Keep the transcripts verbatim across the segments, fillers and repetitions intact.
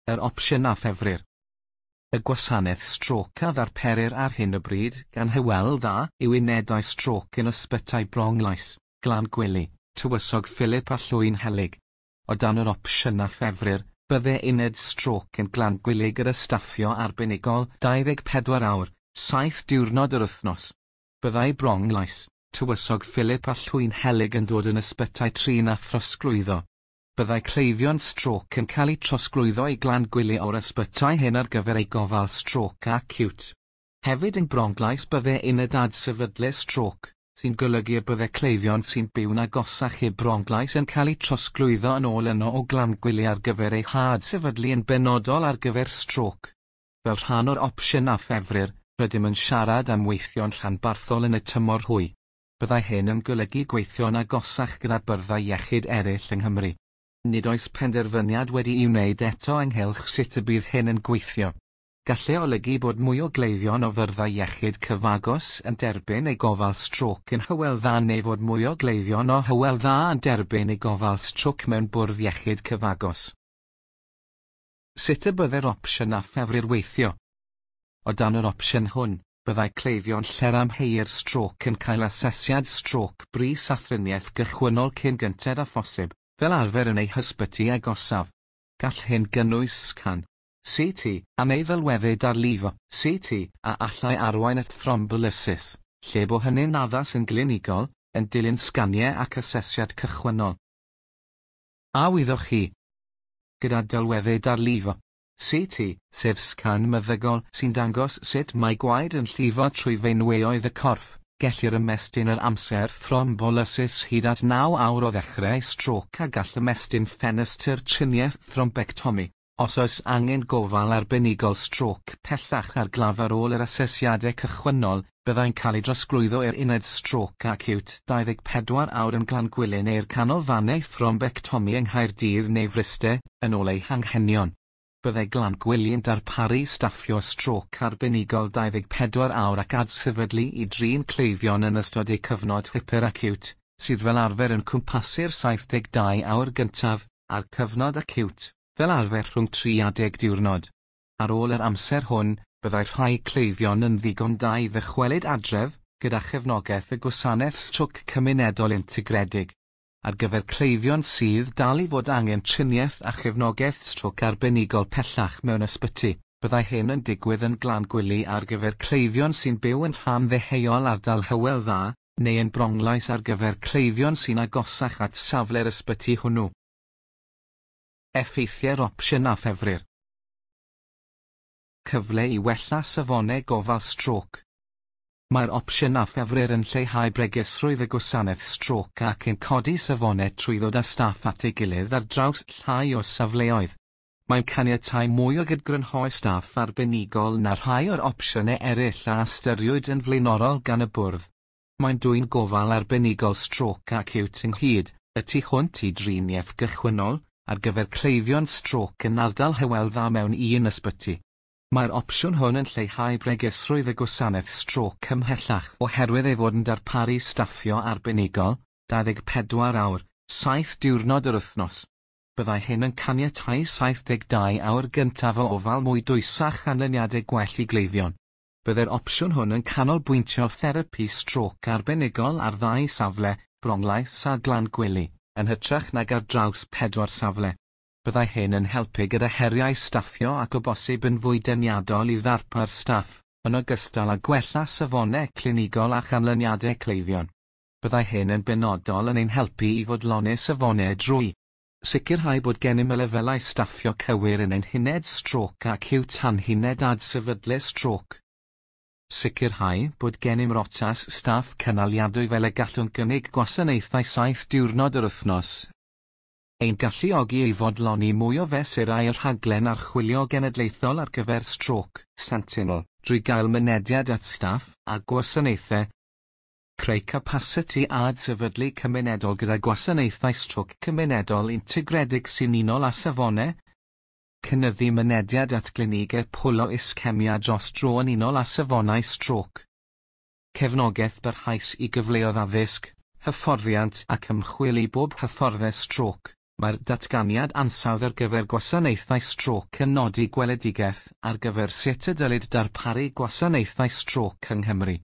Yr opsiwn a ffefrir. Y gwasanaeth strôc a ddarperir ar hyn o bryd gan Hywel Dda yw unedau strôc yn ysbytai Bronglais, Glangwili, Tywysog Philip a Llwynhelyg. O dan yr opsiwn a ffefrir, byddai uned strôc yn Glangwili gyda staffio arbenigol dau ddeg pedwar awr, saith diwrnod yr wythnos. Byddai Bronglais, Tywysog Philip a Llwynhelyg yn dod yn ysbytai trin a throsglwyddo. Byddai cleifion strôc yn cael eu trosglwyddo i Glangwili o'r ysbytai hyn ar gyfer eu gofal strôc acíwt. Hefyd yn Bronglais byddai uned adsefydlu strôc, sy'n golygu y byddai cleifion sy'n byw'n agosach i Bronglais yn cael eu trosglwyddo yn ôl yno o Glangwili ar gyfer eu hadsefydlu yn benodol ar gyfer strôc. Fel rhan o'r opsiwn a ffefrir, rydym yn siarad am weithio'n rhanbarthol yn y tymor hwy. Byddai hyn yn golygu gweithio'n agosach gyda byrddau iechyd eraill yng Nghymru. Nid oes penderfyniad wedi'i wneud eto ynghylch sut y bydd hyn yn gweithio. Gallai olygu bod mwy o gleifion o fyrddau iechyd cyfagos yn derbyn eu gofal strôc yn Hywel Dda neu fod mwy o gleifion o Hywel Dda yn derbyn eu gofal strôc mewn bwrdd iechyd cyfagos. Sut y byddai'r opsiwn a ffefrir weithio? O dan yr opsiwn hwn, byddai cleifion lle'r amheuir strôc yn cael asesiad strôc brys a thriniaeth gychwynnol cyn gynted â phosib, fel arfer yn eu hysbyty agosaf. Gall hyn gynnwys sgan, C T, a neu ddelweddu darlifo, C T, a allai arwain at thrombolysis, lle bo hynny'n addas yn glinigol, yn dilyn sganiau ac asesiad cychwynnol. A wyddoch chi? Gyda delweddu darlifo, C T, sef sgan meddygol sy'n dangos sut mae gwaed yn llifo trwy feinweoedd y corff, gellir ymestyn yr amser thrombolysis hyd at naw awr o ddechrau strôc a gall ymestyn ffenestr triniaeth thrombectomi, os oes angen gofal arbenigol strôc pellach ar glaf ar ôl yr asesiadau cychwynnol, byddai'n cael ei drosglwyddo i'r uned strôc acíwt dau ddeg pedwar awr yn Glangwili neu'r canolfannau thrombectomi yng Nghaerdydd neu Fryste, yn ôl eu hanghenion. Byddai Glangwili yn darparu staffio strôc arbenigol dau ddeg pedwar awr ac adsefydlu i drin cleifion yn ystod eu cyfnod hyperacíwt, sydd fel arfer yn cwmpasu'r saith deg dau awr gyntaf, a'r cyfnod acíwt, fel arfer rhwng tri a deg diwrnod. Ar ôl yr amser hwn, byddai rhai cleifion yn ddigon da i ddychwelyd adref, gyda chefnogaeth y gwasanaeth strôc cymunedol integredig. Ar gyfer cleifion sydd dal i fod angen triniaeth a chefnogaeth strôc arbenigol pellach mewn ysbyty, byddai hyn yn digwydd yn Glangwili ar gyfer cleifion sy'n byw yn rhan ddeheuol ardal Hywel Dda, neu yn Bronglais ar gyfer cleifion sy'n agosach at safle'r ysbyty hwnnw. Effeithiau'r opsiwn a ffefrir. Cyfle i wella safonau gofal strôc. Mae'r opsiwn a ffefrir yn lleihau bregusrwydd y gwasanaeth strôc ac yn codi safonau trwy ddod â staff at ei gilydd ar draws llai o safleoedd. Mae'n caniatáu mwy o gydgrynhoi staff arbenigol na rhai o'r opsiynau eraill a ystyriwyd yn flaenorol gan y bwrdd. Mae'n dwyn gofal arbenigol strôc acíwt ynghyd, y tu hwnt i driniaeth gychwynnol, ar gyfer cleifion strôc yn ardal Hywel Dda mewn un ysbyty. Mae'r opsiwn hwn yn lleihau bregusrwydd y gwasanaeth strôc ymhellach oherwydd ei fod yn darparu staffio arbenigol, dau ddeg pedwar awr, saith diwrnod yr wythnos. Byddai hyn yn caniatáu saith deg dau awr gyntaf o ofal mwy dwys a chanlyniadau gwell i gleifion. Byddai'r opsiwn hwn yn canolbwyntio therapi strôc arbenigol ar ddau safle, Bronglais a Glangwili, yn hytrach nag ar draws pedwar safle. Byddai hyn yn helpu gyda heriau staffio ac o bosib yn fwy deniadol i ddarpar staff, yn ogystal â gwella safonau clinigol a chanlyniadau cleifion. Byddai hyn yn benodol yn ein helpu i fodloni safonau drwy sicrhau bod gennym y lefelau staffio cywir yn ein huned strôc acíwt a'n huned adsefydlu strôc. Sicrhau bod gennym rotas staff cynaliadwy fel y gallwn gynnig gwasanaethau saith diwrnod yr wythnos. Ein galluogi i fodloni mwy o fesurau y rhaglen archwilio genedlaethol ar gyfer strôc, Sentinel, drwy gael mynediad at staff a gwasanaethau. Creu capasiti adsefydlu cymunedol gyda gwasanaethau strôc cymunedol integredig sy'n unol â safonau. Cynyddu mynediad at glinigau pwlo iscemia dros dro yn unol â safonau strôc. Cefnogaeth barhaus i gyfleoedd addysg, hyfforddiant ac ymchwil i bob hyfforddai strôc, Mae'r datganiad ansawdd ar gyfer gwasanaethau strôc yn nodi gweledigaeth ar gyfer sut y dylid darparu gwasanaethau strôc yng Nghymru.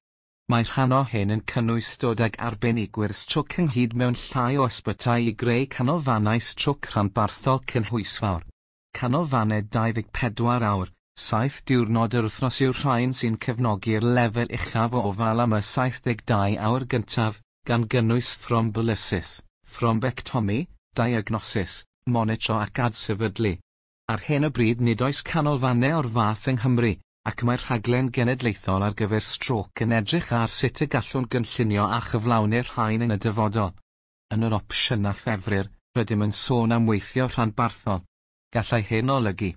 Mae rhan o hyn yn cynnwys dod ag arbenigwyr strôc ynghyd mewn llai o ysbytai i greu canolfannau strôc rhanbarthol cynhwysfawr. Canolfannau dau ddeg pedwar awr, saith diwrnod yr wythnos yw'r rhain sy'n cefnogi'r lefel uchaf o ofal am y saith deg dau awr gyntaf, gan gynnwys thrombolysis, thrombectomi, diagnosis, monitro ac adsefydlu. Ar hyn o bryd nid oes canolfannau o'r fath yng Nghymru, ac mae'r rhaglen genedlaethol ar gyfer strôc yn edrych ar sut y gallwn gynllunio a chyflawni'r rhain yn y dyfodol. Yn yr opsiynau ffefrir, rydym yn sôn am weithio rhanbarthol. Gallai hyn olygu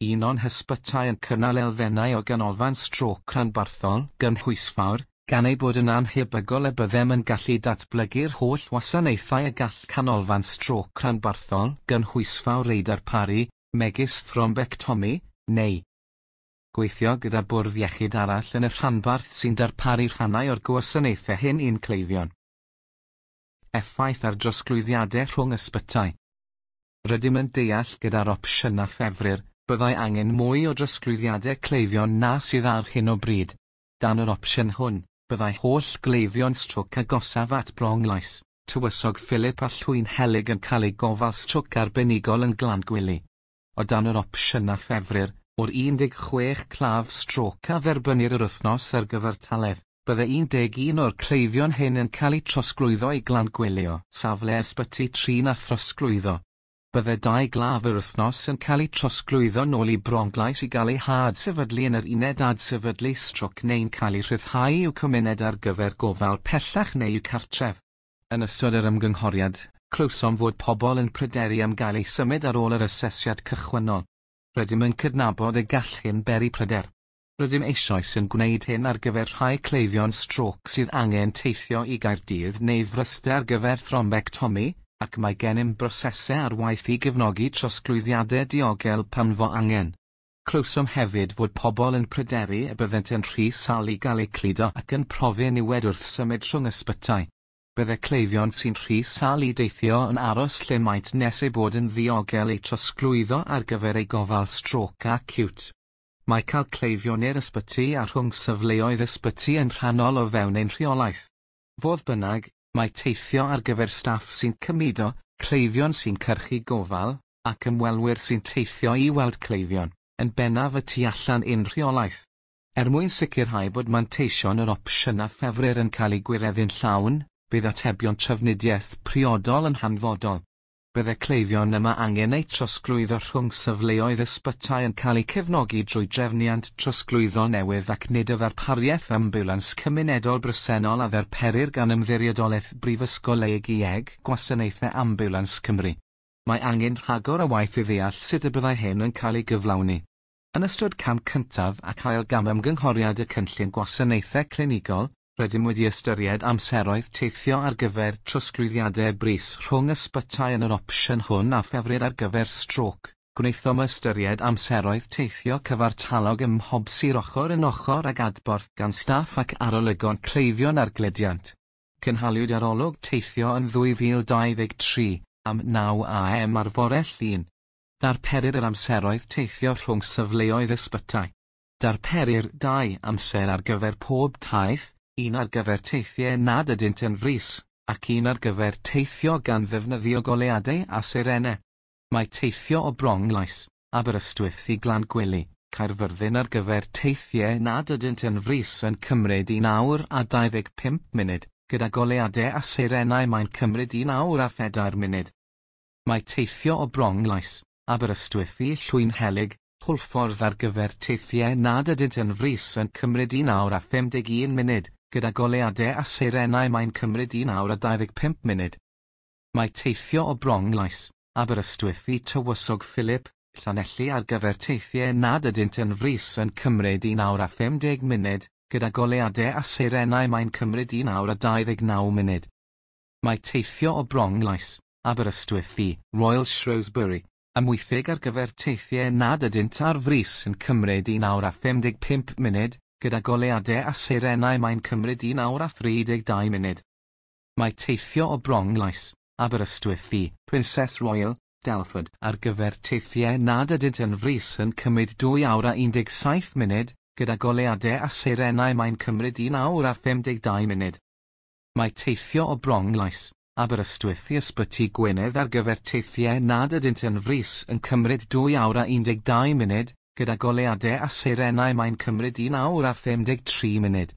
un o'n hysbytai yn cynnal elfennau o ganolfan strôc rhanbarthol gynhwysfawr, gan ei bod yn annhebygol y byddem yn gallu datblygu'r holl wasanaethau y gall canolfan strôc rhanbarthol gynhwysfawr ei darparu, megis thrombectomi, neu gweithio gyda bwrdd iechyd arall yn y rhanbarth sy'n darparu rhannau o'r gwasanaethau hyn i'n cleifion. Effaith ar drosglwyddiadau rhwng ysbytai. Rydym yn deall gyda'r opsiynau ffefrir, byddai angen mwy o drosglwyddiadau cleifion na sydd ar hyn o bryd. Dan yr opsiwn hwn, byddai holl gleifion strôc agosaf at Bronglais, Tywysog Philip a Llwynhelyg yn cael eu gofal strôc arbenigol yn Glangwili. O dan yr opsiynau ffefrir, o'r un deg chwech claf strôc a dderbynnir yr wythnos ar gyfartaledd, byddai un deg un o'r cleifion hyn yn cael eu trosglwyddo i Glangwili o safle ysbyty trin a throsglwyddo. Byddai dau glaf yr wythnos yn cael eu trosglwyddo nôl i Bronglais i gael eu hadsefydlu yn yr uned adsefydlu strôc neu'n cael eu rhyddhau i'w cymuned ar gyfer gofal pellach neu i'w cartref. Yn ystod yr ymgynghoriad, clywsom fod pobl yn pryderu am gael eu symud ar ôl yr asesiad cychwynnol. Rydym yn cydnabod y gall hyn beri pryder. Rydym eisoes yn gwneud hyn ar gyfer rhai cleifion strôc sydd angen teithio i Gaerdydd neu Fryste ar gyfer thrombectomi, ac mae gennym brosesau ar waith i gefnogi trosglwyddiadau diogel pan fo angen. Clywsom hefyd fod pobl yn pryderu y byddent yn rhy sâl i gael eu cludo ac yn profi niwed wrth symud rhwng ysbytai. Byddai cleifion sy'n rhy sâl i deithio yn aros lle maent nes eu bod yn ddiogel eu trosglwyddo ar gyfer eu gofal strôc acíwt. Mae cael cleifion i'r ysbyty a rhwng safleoedd ysbyty yn rhannol o fewn ein rheolaeth. Fodd bynnag, mae teithio ar gyfer staff sy'n cymudo, cleifion sy'n cyrchu gofal, ac ymwelwyr sy'n teithio i weld cleifion, yn bennaf y tu allan i'n rheolaeth. Er mwyn sicrhau bod manteision yr opsiynau ffefrir yn cael eu gwireddu'n llawn, bydd atebion trafnidiaeth priodol yn hanfodol. Byddai cleifion yma angen eu trosglwyddo rhwng safleoedd ysbytai yn cael eu cefnogi drwy drefniant trosglwyddo newydd ac nid y ddarpariaeth ambiwlans cymunedol bresennol a ddarperir gan Ymddiriedolaeth Brifysgol Eig Gwasanaethau Ambiwlans Cymru. Mae angen rhagor o waith i ddeall sut y byddai hyn yn cael ei gyflawni. Yn ystod cam cyntaf ac ail gam ymgynghoriad y cynllun gwasanaethau clinigol, rydym wedi ystyried amseroedd teithio ar gyfer trosglwyddiadau brys rhwng ysbytai yn yr opsiwn hwn a ffefrir ar gyfer strôc. Gwnaethom ystyried amseroedd teithio cyfartalog ym mhob sir ochr yn ochr ag adborth gan staff ac arolygon cleifion ar gludiant. Cynhaliwyd arolwg teithio yn ddwy fil dau ddeg tri, am naw a m ar fore Llun. Darperir yr amseroedd teithio rhwng safleoedd ysbytai. Darperir dau amser ar gyfer pob taith, un ar gyfer teithiau nad ydynt yn frys, ac un ar gyfer teithio gan ddefnyddio goleuadau a seirenau. Mae teithio o Bronglais, Aberystwyth i Glangwili, Caerfyrddin ar gyfer teithiau nad ydynt yn frys yn cymryd un awr a dau ddeg pump munud, gyda goleuadau a seirenau mae'n cymryd un awr a phedair munud. Mae teithio o Bronglais, Aberystwyth i Llwynhelyg, Hwlffordd ar gyfer teithiau nad ydynt yn frys yn cymryd un awr a phum deg un munud, gyda goleuadau a seirenau mae'n cymryd un awr a dau ddeg pump munud. Mae teithio o Bronglais, Aberystwyth i Tywysog Philip, Llanelli ar gyfer teithiau nad ydynt yn frys yn cymryd un awr a phum deg munud, gyda goleuadau a seirenau mae'n cymryd un awr a dau ddeg naw munud. Mae teithio o Bronglais, Aberystwyth i Royal Shrewsbury, Amwythig ar gyfer teithiau nad ydynt ar frys yn cymryd un awr a phum deg pump munud, gyda goleuadau a seirenau mae'n cymryd un awr a thri deg dau munud. Mae teithio o Bronglais, Aberystwyth i Princess Royal, Telford ar gyfer teithiau nad ydynt yn frys yn cymryd dwy awr a un deg saith munud, gyda goleuadau a seirenau mae'n cymryd un awr a phum deg dau munud. Mae teithio o Bronglais, Aberystwyth i Ysbyty Gwynedd ar gyfer teithiau nad ydynt yn frys yn cymryd dwy awr a un deg dau munud, gyda goleuadau a seirenau mae'n cymryd un awr a phum deg tri munud.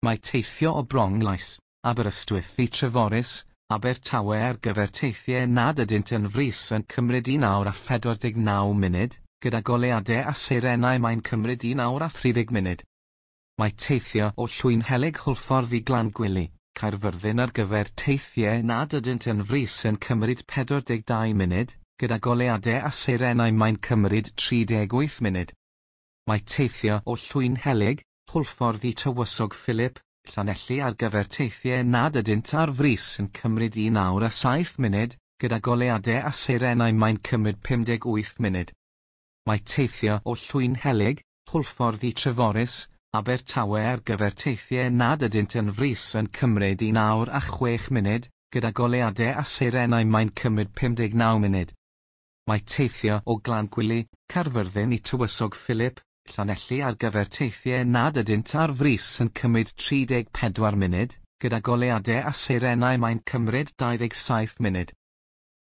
Mae teithio o Bronglais, Aberystwyth i Treforys, Abertawe ar gyfer teithiau nad ydynt yn frys yn cymryd un awr a phedwar deg naw munud, gyda goleuadau a seirenau mae'n cymryd un awr a thri deg munud. Mae teithio o Llwynhelyg Hwlffordd i Glangwili, Caerfyrddin ar gyfer teithiau nad ydynt yn frys yn cymryd pedwar deg dau munud, gyda goleuadau a seirenau mae'n cymryd tri deg wyth munud. Mae teithio o Llwynhelyg, Hwlffordd i Tywysog Philip, Llanelli ar gyfer teithiau nad ydynt ar frys yn cymryd un awr a saith munud, gyda goleuadau a seirenau mae'n cymryd pum deg wyth munud. Mae teithio o Llwynhelyg, Hwlffordd i Treforys, Abertawe ar gyfer teithiau nad ydynt yn frys yn cymryd un awr a chwech munud, gyda goleuadau a seirenau mae'n cymryd pum deg naw munud. Mae teithio o Glangwili, Caerfyrddin i Tywysog Philip, Llanelli ar gyfer teithiau nad ydynt ar frys yn cymryd tri deg pedwar munud, gyda goleuadau a seirenau mae'n cymryd dau ddeg saith munud.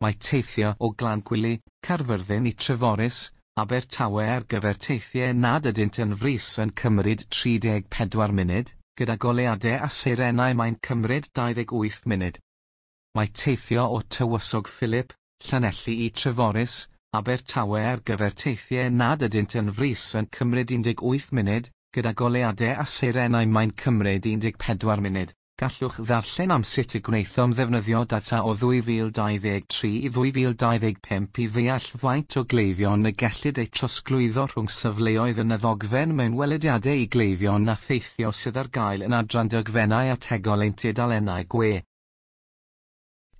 Mae teithio o Glangwili, Caerfyrddin i Treforys, Abertawe ar gyfer teithiau nad ydynt yn frys yn cymryd tri deg pedwar munud, gyda goleuadau a seirenau mae'n cymryd dau ddeg wyth munud. Mae teithio o Tywysog Philip, Llanelli i Treforys, Abertawe ar gyfer teithiau nad ydynt yn frys yn cymryd un deg wyth munud, gyda goleuadau a seirenau mae'n cymryd un deg pedwar munud. Gallwch ddarllen am sut y gwnaethom ddefnyddio data o ddwy fil dau ddeg tri i ddwy fil dau ddeg pump i ddeall faint o gleifion y gellid eu trosglwyddo rhwng safleoedd yn y ddogfen mewn welediadau i gleifion a theithio sydd ar gael yn adran dogfennau ategol ein tudalennau gwe.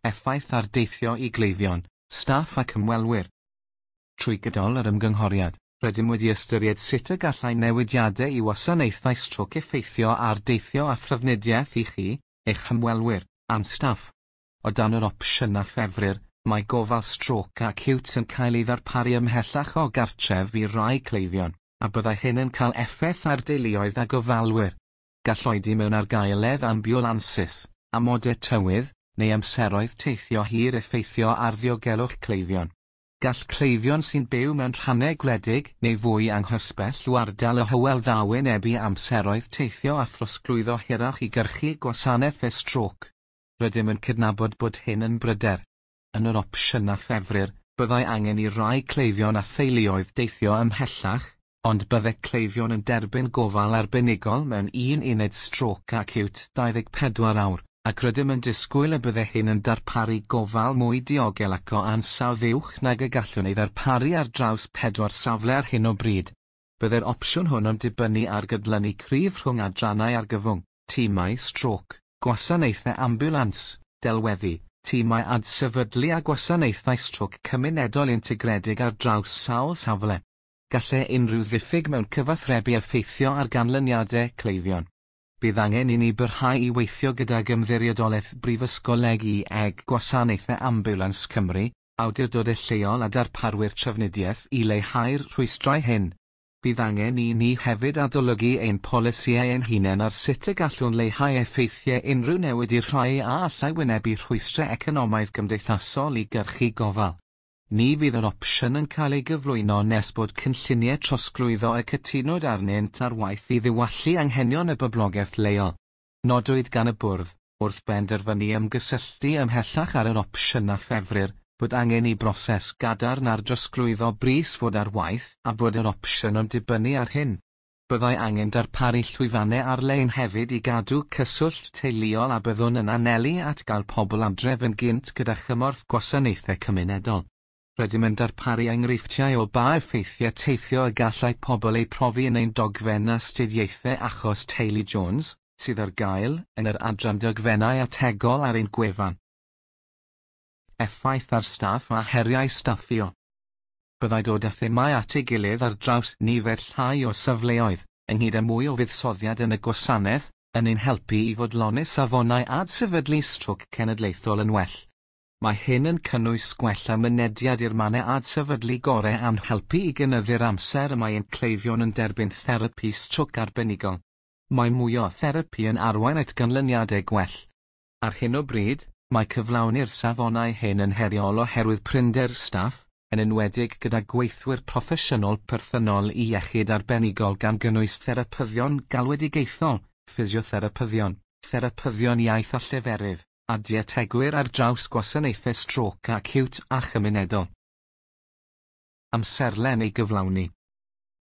Effaith ar deithio i gleifion, staff ac ymwelwyr. Trwy gydol yr ymgynghoriad, rydym wedi ystyried sut y gallai newidiadau i wasanaethau strôc effeithio ar deithio a thrafnidiaeth i chi, eich hymwelwyr, a'n staff. O dan yr opsiynau ffefrir, mae gofal strôc acíwt yn cael ei ddarparu ymhellach o gartref i rai cleifion, a byddai hyn yn cael effaith ar deuluoedd a gofalwyr. Gall oedi mewn argaeledd ambiwlansys, amodau tywydd, neu amseroedd teithio hir effeithio ar ddiogelwch cleifion. Gall cleifion sy'n byw mewn rhannau gwledig neu fwy anghysbell o ardal y Hywel Dda wynebu amseroedd teithio a throsglwyddo hirach i gyrchu gwasanaeth strôc. Rydym yn cydnabod bod hyn yn bryder. Yn yr opsiynau ffefrir, byddai angen i rai cleifion a theuluoedd deithio ymhellach, ond byddai cleifion yn derbyn gofal arbenigol mewn un uned strôc acíwt dau ddeg pedwar awr, ac rydym yn disgwyl y byddai hyn yn darparu gofal mwy diogel ac o ansawdd uwch nag y gallwn ei ddarparu ar draws pedwar safle ar hyn o bryd. Byddai'r opsiwn hwn yn dibynnu ar gydlynu cryf rhwng adrannau argyfwng, timau strôc, gwasanaethau ambiwlans, delweddu, timau adsefydlu a gwasanaethau strôc cymunedol integredig ar draws sawl safle. Gallai unrhyw ddiffyg mewn cyfathrebu effeithio ar ganlyniadau cleifion. Bydd angen i ni barhau i weithio gydag Ymddiriedolaeth Brifysgol I E G Gwasanaethau Ambiwlans Cymru, awdurdodau lleol a darparwyr trafnidiaeth i leihau'r rhwystrau hyn. Bydd angen i ni hefyd adolygu ein polisïau ein hunain ar sut y gallwn leihau effeithiau unrhyw newid i'r rhai a allai wynebu rhwystrau economaidd gymdeithasol i gyrchu gofal. Ni fydd yr opsiwn yn cael ei gyflwyno nes bod cynlluniau trosglwyddo y cytunwyd arnynt ar waith i ddiwallu anghenion y boblogaeth leol. Nodwyd gan y bwrdd, wrth benderfynu ymgysylltu ymhellach ar yr opsiynau ffefrir, bod angen i broses gadarn ar drosglwyddo brys fod ar waith a bod yr opsiwn yn dibynnu ar hyn. Byddai angen darparu llwyfannau ar-lein hefyd i gadw cyswllt teuluol a byddwn yn anelu at gael pobl adref yn gynt gyda chymorth gwasanaethau cymunedol. Rydym yn darparu enghreifftiau o ba effeithiau teithio y gallai pobl eu profi yn ein dogfen astudiaethau achos Teulu Jones, sydd ar gael yn yr adran dogfennau ategol ar ein gwefan. Effaith ar staff a heriau staffio. Byddai dod â thimau at ei gilydd ar draws nifer llai o safleoedd, ynghyd â mwy o fuddsoddiad yn y gwasanaeth, yn ein helpu i fodloni safonau adsefydlu strôc cenedlaethol yn well. Mae hyn yn cynnwys gwella mynediad i'r mannau adsefydlu gorau a'n helpu i gynyddu'r amser y mae ein cleifion yn derbyn therapi strôc arbenigol. Mae mwy o therapi yn arwain at ganlyniadau gwell. Ar hyn o bryd, mae cyflawni'r safonau hyn yn heriol oherwydd prinder staff, yn enwedig gyda gweithwyr proffesiynol perthynol i iechyd arbenigol gan gynnwys therapyddion galwedigaethol, ffisiotherapyddion, therapyddion iaith a lleferydd, a dietegwyr ar draws gwasanaethau strôc acíwt a chymunedol. Amserlen ei gyflawni.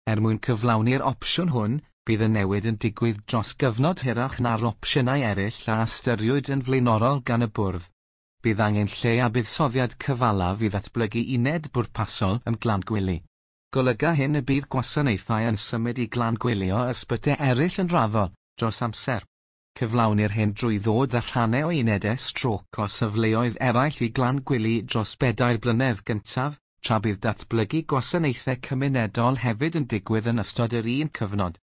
Er mwyn cyflawni'r opsiwn hwn, bydd y newid yn digwydd dros gyfnod hirach na'r opsiynau eraill a ystyriwyd yn flaenorol gan y bwrdd. Bydd angen lle a buddsoddiad cyfalaf i ddatblygu uned bwrpasol yn Glangwili. Golyga hyn y bydd gwasanaethau yn symud i Glangwili o ysbytai eraill yn raddol, dros amser. Cyflawnir hyn drwy ddod â rhannau o unedau strôc o safleoedd eraill i Glangwili dros bedair blynedd gyntaf, tra bydd datblygu gwasanaethau cymunedol hefyd yn digwydd yn ystod yr un cyfnod.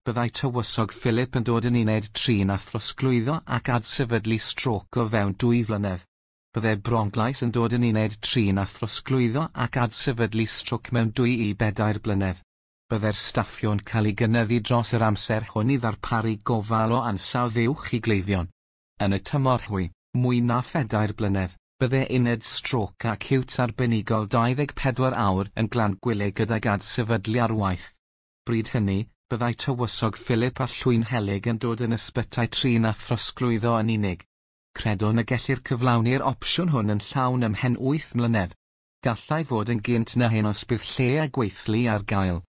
Byddai Tywysog Philip yn dod yn uned trin a throsglwyddo ac adsefydlu strôc o fewn dwy flynedd. Byddai Bronglais yn dod yn uned trin a throsglwyddo ac adsefydlu strôc mewn dwy i bedair blynedd. Byddai'r staffio'n cael ei gynyddu dros yr amser hwn i ddarparu gofal o ansawdd uwch i gleifion. Yn y tymor hwy, mwy na phedair blynedd, byddai uned strôc acíwt arbenigol dau ddeg pedwar awr yn Glangwili gydag adsefydlu ar waith. Bryd hynny, byddai Tywysog Philip a Llwynhelyg yn dod yn ysbytai trin a throsglwyddo yn unig. Credwn y gellir cyflawni'r opsiwn hwn yn llawn ymhen wyth mlynedd. Gallai fod yn gynt na hyn os bydd lle a gweithlu ar gael.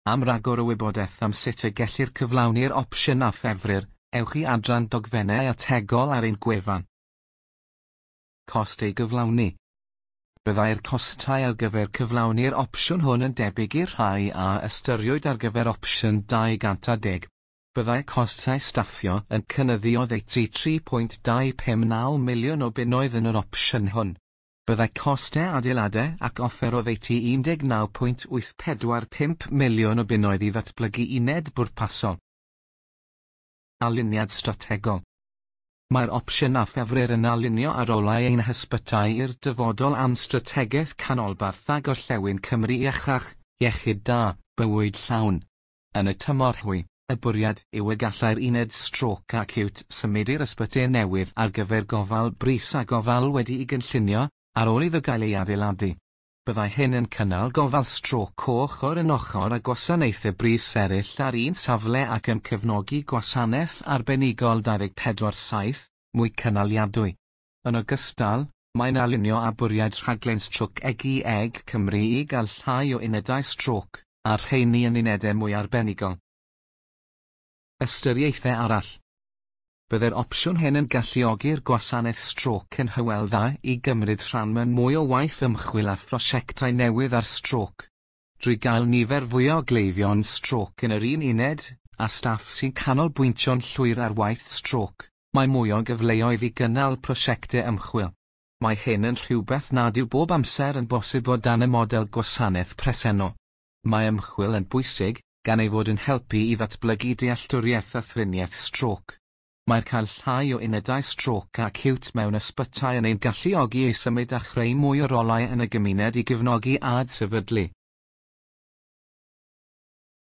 Am ragor o wybodaeth am sut y gellir cyflawni'r opsiwn a ffefrir, ewch i adran dogfennau ategol ar ein gwefan. Cost ei gyflawni. Byddai'r costau ar gyfer cyflawni'r opsiwn hwn yn debyg i'r rhai a ystyriwyd ar gyfer opsiwn dau gant a deg. Byddai costau staffio yn cynyddu oddeutu tri pwynt dau pum naw miliwn o bunnoedd yn yr opsiwn hwn. Byddai costau adeiladau ac offer oddeutu un deg naw pwynt wyth pedwar pump miliwn o bunnoedd i ddatblygu uned bwrpasol. Aliniad strategol. Mae'r opsiwn a ffefrir yn alinio ar rolau ein hysbytai i'r dyfodol am strategaeth canolbarth a gorllewin Cymru iachach, iechyd da, bywyd llawn. Yn y tymor hwy, y bwriad yw y gallai'r uned strôc acíwt symud i'r ysbyty newydd ar gyfer gofal brys a gofal wedi'i gynllunio, ar ôl iddo gael ei adeiladu. Byddai hyn yn cynnal gofal strôc ochr yn ochr â gwasanaethau brys eraill ar un safle ac yn cefnogi gwasanaeth arbenigol dau ddeg pedwar saith, mwy cynaliadwy. Yn ogystal, mae'n alinio â bwriad rhaglen strôc E G E G Cymru i gael llai o unedau strôc, a'r rheini yn unedau mwy arbenigol. Ystyriaethau arall. Byddai'r opsiwn hyn yn galluogi'r gwasanaeth strôc yn Hywel Dda i gymryd rhan mewn mwy o waith ymchwil a phrosiectau newydd ar strôc. Drwy gael nifer fwy o gleifion strôc yn yr un uned, a staff sy'n canolbwyntio'n llwyr ar waith strôc, mae mwy o gyfleoedd i gynnal prosiectau ymchwil. Mae hyn yn rhywbeth nad yw bob amser yn bosib o dan y model gwasanaeth presennol. Mae ymchwil yn bwysig, gan ei fod yn helpu i ddatblygu dealltwriaeth a thriniaeth strôc. Mae'r cael llai o unedau strôc acíwt mewn ysbytai yn ein galluogi i symud a chreu mwy o rolau yn y gymuned i gefnogi adsefydlu.